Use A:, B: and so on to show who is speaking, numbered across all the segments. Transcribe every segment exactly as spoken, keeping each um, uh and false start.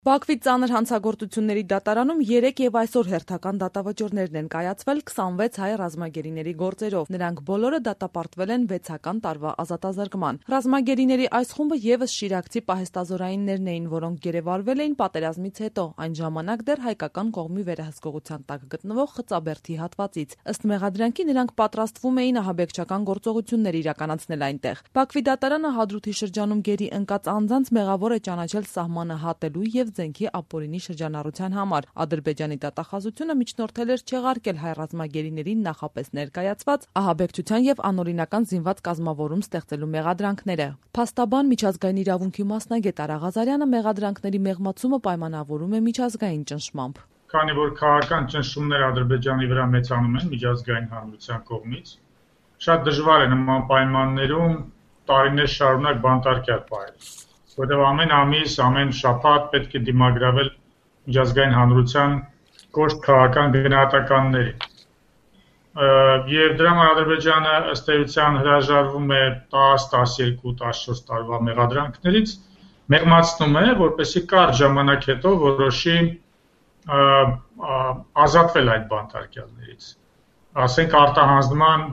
A: Բաքվի ծանր հանցագործությունների դատարանում երեկ եւ այսօր հերթական դատավճիռներն են կայացվել քսանվեց հայ ռազմագերիների գործերով։ Նրանք բոլորը դատապարտվել են վեցական տարվա ազատազրկման։ Ռազմագերիների այս խումբը եւս շիրակցի պահեստազորայիններն էին, որոնք գերեվարվել էին պատերազմից հետո, այն ժամանակ դեռ հայկական կողմի վերահսկողության տակ գտնվող Խծաբերդի հատվածից։ Ըստ մեղադրանքի նրանք պատրաստվում էին ահաբեկչական գործողություններ իրականացնել այնտեղ։ Բաքվի դատարանը Հադրութի շրջանում գերի ընկած անձանց մեղավոր է ճանաչել սահմանը հատելու եւ Զենքի ապօրինի շրջանառության համար։ Ադրբեջանի դատախազությունը միջնորդել էր չեղարկել հայ ռազմագերիներին նախապես ներկայացված ահաբեկչության եւ անօրինական զինված կազմավորում ստեղծելու մեղադրանքները։ Փաստաբան միջազգային իրավունքի մասնագետ Արա Ղազարյանը մեղադրանքների մեղմացումը պայմանավորում է միջազգային ճնշմամբ։
B: Քանի որ քաղաքական ճնշումներ Ադրբեջանի վրա մեծանում են միջազգային հանրության կողմից, շատ դժվար է նման պայմաններում տարիներ շարունակ բանտարկյալ պահել։ Որտեղ ամեն ամիս, ամեն շաբաթ պետք է դիմագրավել միջազգային հանրության կոշտ քաղաքական գնահատականների։ Եվ դրա համար Ադրբեջանը ըստ էության հրաժարվում է տաս, տասներկու, տասնչորս տարվա մեղադրանքներից, մեղմացնում է, որպեսզի կարճ ժամանակ հետո որոշի ազատվել այդ բանտարկյալներից, ասենք արտահանձնման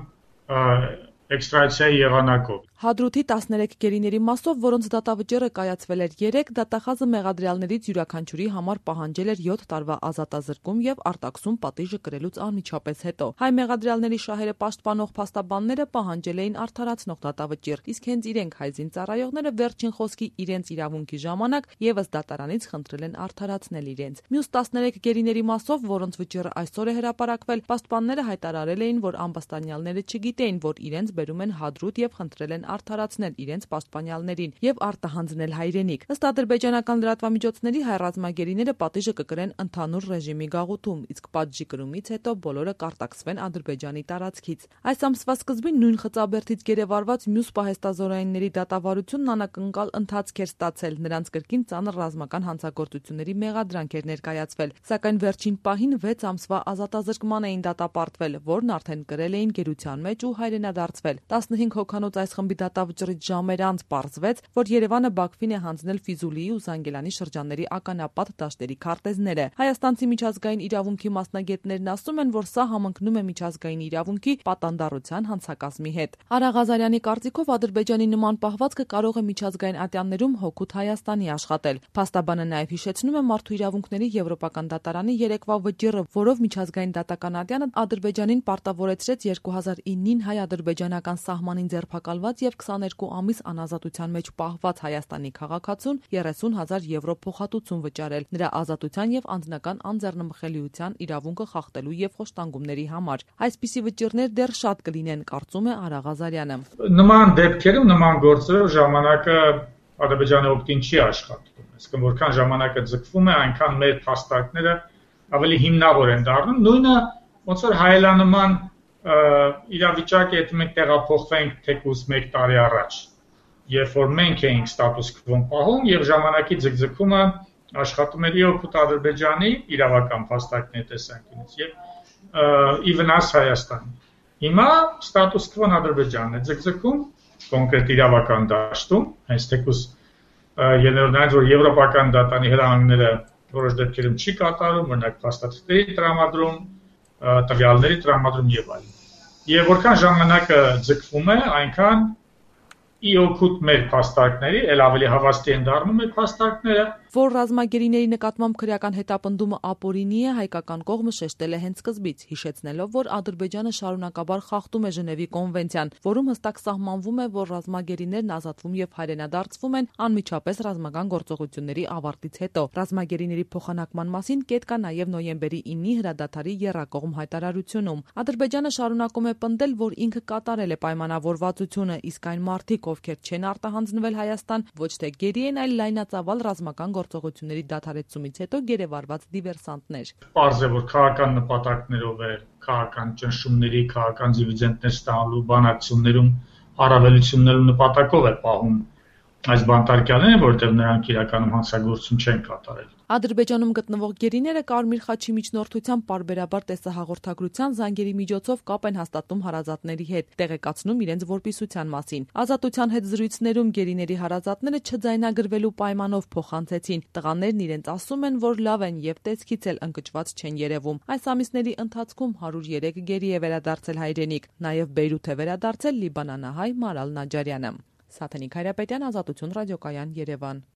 B: էքստրադիցիայի եղանակով։
A: Հադրութի տասներեք գերիների մասով, որոնց դատավճիռը կայացվել էր երեկ, դատախազը մեղադրյալներից յուրաքանչյուրի համար պահանջել էր յոթ տարվա ազատազրկում եւ արտաքսում պատիժը կրելուց անմիջապես հետո։ Հայ մեղադրյալների շահերը պաշտպանող փաստաբանները պահանջել էին արդարացնող դատավճիռ, իսկ հենց իրենք հայ զինծառայողները վերջին խոսքի իրենց իրավունքի ժամանակ եւս դատարանից խնդրել են արդարացնել իրենց։ Մյուս տասներեք գերիների մասով, որոնց վճիռը այսօր է հրապարակվել, պաշտպանները հայտարարել էին, որ ամբաստանյալները չգիտեին, որ իրենց բերում են Հադրութ եւ խնդրել են արդարացնել իրենց պաշտպանյալներին եւ արտահանձնել հայրենիք։ Ըստ ադրբեջանական լրատվամիջոցների հայ ռազմագերիները պատիժը կկրեն ընդհանուր ռեժիմի գաղութում, իսկ պատժի կրումից հետո բոլորը կարտաքսվեն Ադրբեջանի տարածքից։ Այս ամսվա սկզբին նույն Խծաբերդից գերեվարված մյուս պահեստազորայինների դատավարությունն անակնկալ ընթացք էր ստացել, նրանց կրկին ծանր ռազմական հանցագործությունների մեղադրանք էր ներկայացվել, սակայն վերջին պահին վեց ամսվա ազատազրկման էին դատապարտվել, որն արդեն կրել էին գերության մեջ ու հայրենադարձվել։ տասնհինգ հոգանոց այս խմբի դատավճռից ժամեր անց պարզվեց, որ Երևանը Բաքվին է հանձնել Ֆիզուլիի ու Զանգելանի շրջանների ականապատ դաշտերի քարտեզները։ Հայաստանցի միջազգային իրավունքի մասնագետներն ասում են, որ սա համընկնում է միջազգային իրավունքի պատանդառության հանցակազմի հետ։ Արա Ղազարյանի կարծիքով Ադրբեջանի նման պահվածքը կարող է միջազգային ատյաններում հօգուտ Հայաստանի աշխատել։ Փաստաբանը նաև հիշեցնում է մարդու իրավունքների եվրոպական դատարանի երեկվա վճիռը, որով միջազգային դատական ատյանը Ադրբեջանին պարտավորեցրեց երկու հազար իննին հայ-ադրբեջանական սահմանին ձերբակալված եւ քսաներկու ամիս անազատության մեջ պահված Հայաստանի քաղաքացուն երեսուն հազար եվրո փոխհատուցում վճարել նրա ազատության եւ անձնական անձեռնմխելիության իրավունքը խախտելու եւ խոշտանգումների համար։ Այսպիսի վճիռներ դեռ շատ կլինեն, կարծում է Արա Ղազարյանը։
B: Նման դեպքերում, նման գործերով ժամանակը Ադրբեջանի օգտին չի աշխատում։ Այսինքն որքան ժամանակը ձգվում է, այնքան մեր փաստարկները ավելի հիմնավոր են դառնում։ Նույնը ոնց որ հայելանման իրավիճակը եթե մենք տեղափոխվենք թեկուզ մեկ տարի առաջ, երբ որ մենք էինք ստատուս քվոն պահում եւ ժամանակի ձգձգումը աշխատում էր օգուտ Ադրբեջանի իրավական փաստարկների տեսանկյունից եւ ի վնաս Հայաստանի։ Հիմա ստատուս քվոն Ադրբեջանն է ձգձգում կոնկրետ իրավական դաշտում, հենց թեկուզ ելնելով որ եվրոպական դատանի հրահանգները որոշ դեպքերում չի կատարում, օրինակ փաստաթղթերի տրամադրում, տվյալների տրամադրում եւ այլն։ Եվ որքան ժամանակը ձգվում է, այնքան ի օգուտ մեր փաստարկների, ել ավելի հավաստի են դառնում այդ փաստարկները,
A: որ ռազմագերիների նկատմամբ քրեական հետապնդումը ապօրինի է, հայկական կողմը շեշտել է հենց սկզբից, հիշեցնելով, որ Ադրբեջանը շարունակաբար խախտում է Ժնևի կոնվենցիան, որում հստակ սահմանվում է, որ ռազմագերիներն ազատվում եւ հայրենադարձվում են անմիջապես ռազմական գործողությունների ավարտից հետո։ Ռազմագերիների փոխանակման մասին կետ կա նաեւ նոյեմբերի իննի հրադադարի եռակողմ հայտարարությունում։ Ադրբեջանը շարունակում է պնդել, որ ինքը կատարել է պայմանավորվածությունը, իսկ այն մարդիկ, ովքեր չեն արտահանձնվել Հայաստան, ոչ թե գերի են, այլ լայնածավալ ռազմական գործողությունների դադարեցումից հետո գերեվարված դիվերսանտներ։
B: Պարզ է, որ քաղաքական նպատակներով է, քաղաքական ճնշումների, քաղաքական դիվիդենտներ ստանալու բանակցություններում առավելություններու նպատակով է պահում այս բանտարկյալներն են, որովհետև նրանք իրականում հանցագործություն չեն կատարել։
A: Ադրբեջանում գտնվող գերիները Կարմիր խաչի միջնորդությամբ պարբերաբար տեսահաղորդագրության զանգերի միջոցով կապ են հաստատում հարազատների հետ, տեղեկացնում իրենց որպիսության մասին։ Ազատության հետ զրույցներում գերիների հարազատները չձայնագրվելու պայմանով փոխանցեցին։ Տղաներն իրենց ասում են, որ լավ են եւ տեսքից էլ ընկճված չեն երևում։ Այս ամիսների ընթացքում հարյուր երեք գերի է վերադարձել հայրենիք, նաեւ Բեյրութ է վերադարձել լիբանանահայ Մարալ Նաջարյանը։ Սաթենիկ Հայրապետյան, Ազատություն ռադիոկայան, Երևան։